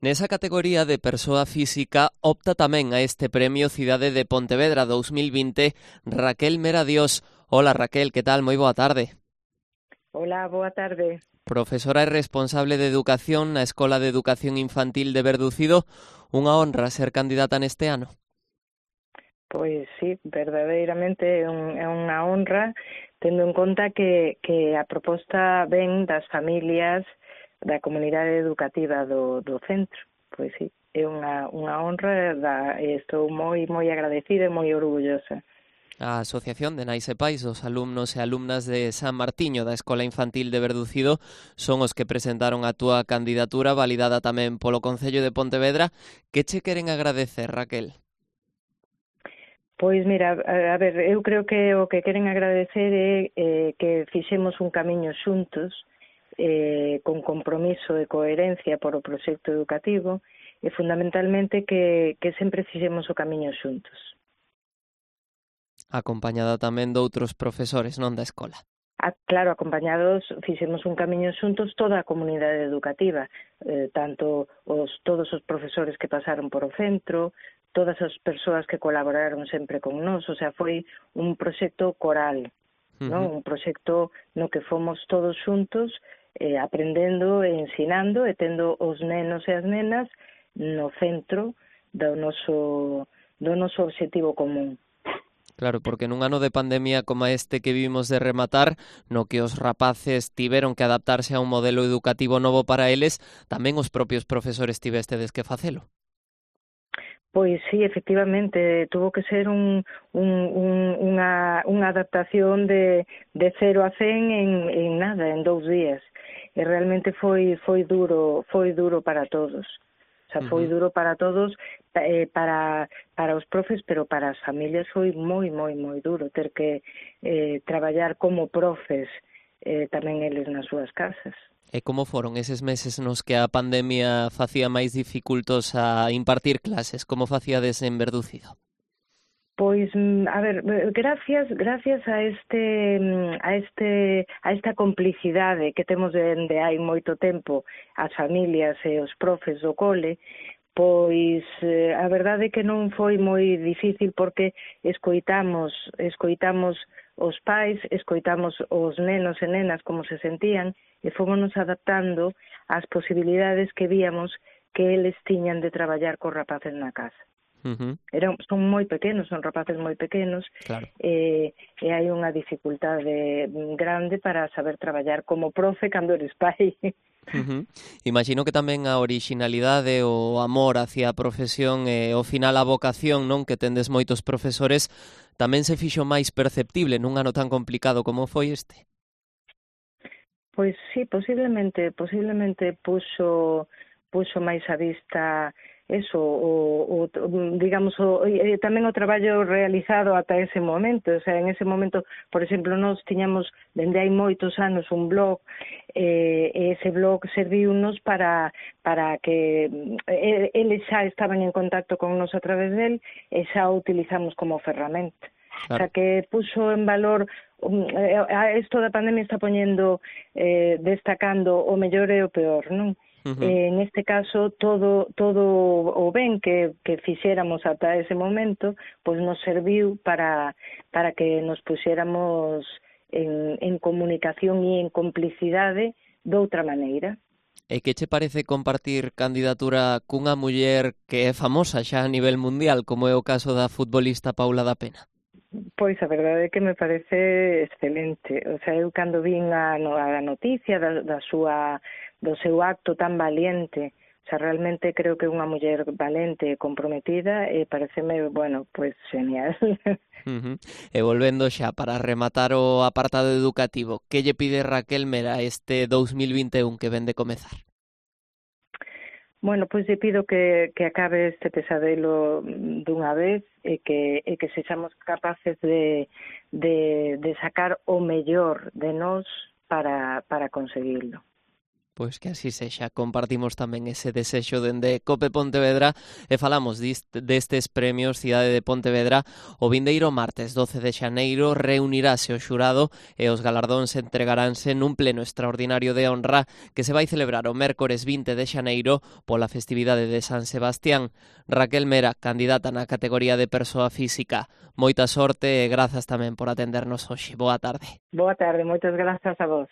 Nesa categoría de persoa física opta tamén a este premio Cidade de Pontevedra 2020 Raquel Meradios. Hola Raquel, que tal? Moi boa tarde. Hola, boa tarde. Profesora e responsable de Educación na Escola de Educación Infantil de Verducido, unha honra ser candidata neste ano. Pois sí, verdadeiramente é unha honra, tendo en conta que a proposta ven das familias da comunidade educativa do centro. Pois sí, é unha honra e estou moi agradecida e moi orgullosa. A Asociación de Nais e Pais dos alumnos e alumnas de San Martiño da Escola Infantil de Verducido son os que presentaron a túa candidatura validada tamén polo Concello de Pontevedra. Que che queren agradecer, Raquel? Pois mira, a ver, eu creo que o que queren agradecer é que fixemos un camiño xuntos, con compromiso e coherencia por o proxecto educativo e fundamentalmente que sempre fixemos o camiño xuntos. Acompañada tamén doutros profesores, non da escola. Claro, acompañados fixemos un camiño xuntos toda a comunidade educativa, tanto todos os profesores que pasaron por o centro, todas as persoas que colaboraron sempre con nós, o sea, foi un proxecto coral, non? Un proxecto no que fomos todos xuntos aprendendo e ensinando e tendo os nenos e as nenas no centro do noso obxectivo común. Claro, porque nun ano de pandemia como este que vivimos de rematar, no que os rapaces tiveron que adaptarse a un modelo educativo novo para eles, tamén os propios profesores tivestedes que facelo. Pois sí, efectivamente, tuvo que ser unha adaptación de 0 a 100 en nada, en 2 días. E realmente foi duro para todos. O sea, foi duro para todos, para os profes, pero para as familias foi moi duro ter que traballar como profes tamén eles nas súas casas. E como foron eses meses nos que a pandemia facía máis dificultos a impartir clases? Como facíades en Verducido? Pois, a ver, gracias a esta complicidade que temos dende hai moito tempo as familias e os profes do cole, pois a verdade é que non foi moi difícil porque escoitamos os pais, escoitamos os nenos e nenas como se sentían e fomos adaptando ás posibilidades que víamos que eles tiñan de traballar cos rapaces na casa. Son moi pequenos, son rapaces moi pequenos, claro. E hai unha dificultade grande para saber traballar como profe cando eres pai. Imagino que tamén a orixinalidade, o amor hacia a profesión e ao final a vocación, non, que tendes moitos profesores, tamén se fixo máis perceptible nun ano tan complicado como foi este. Pois sí, posiblemente puxo máis a vista eso, digamos, tamén o traballo realizado ata ese momento, o sea, en ese momento, por exemplo, nós tiñamos dende hai moitos anos un blog, e ese blog serviunos para que eles xa estaban en contacto con nos a través del e xa o utilizamos como ferramenta. Claro. O sea, que puxo en valor isto da pandemia está poñendo, destacando o mellor e o peor, non? Neste caso, todo o ben que fixéramos ata ese momento, pois nos serviu para que nos puxéramos en comunicación e en complicidade doutra maneira. E que che parece compartir candidatura cunha muller que é famosa xa a nivel mundial, como é o caso da futbolista Paula da Pena? Pois a verdade é que me parece excelente. O sea, eu cando vin a noticia do seu acto tan valiente, o sea, realmente creo que é unha muller valente e comprometida e pareceme, bueno, pois genial. E volvendo xa para rematar o apartado educativo, que lle pide Raquel Mera este 2021 que ven de comezar? Bueno, pois lle pido que acabe este pesadelo dunha vez e que sexamos capaces de sacar o mellor de nós para conseguirlo. Pois que así sexa, compartimos tamén ese desexo dende Cope Pontevedra e falamos destes premios Cidade de Pontevedra. O vindeiro martes 12 de xaneiro reunirase o xurado e os galardóns entregaránse nun pleno extraordinario de honra que se vai celebrar o mércores 20 de xaneiro pola festividade de San Sebastián. Raquel Mera, candidata na categoría de persoa física. Moita sorte e grazas tamén por atendernos hoxe. Boa tarde. Boa tarde, moitas grazas a vos.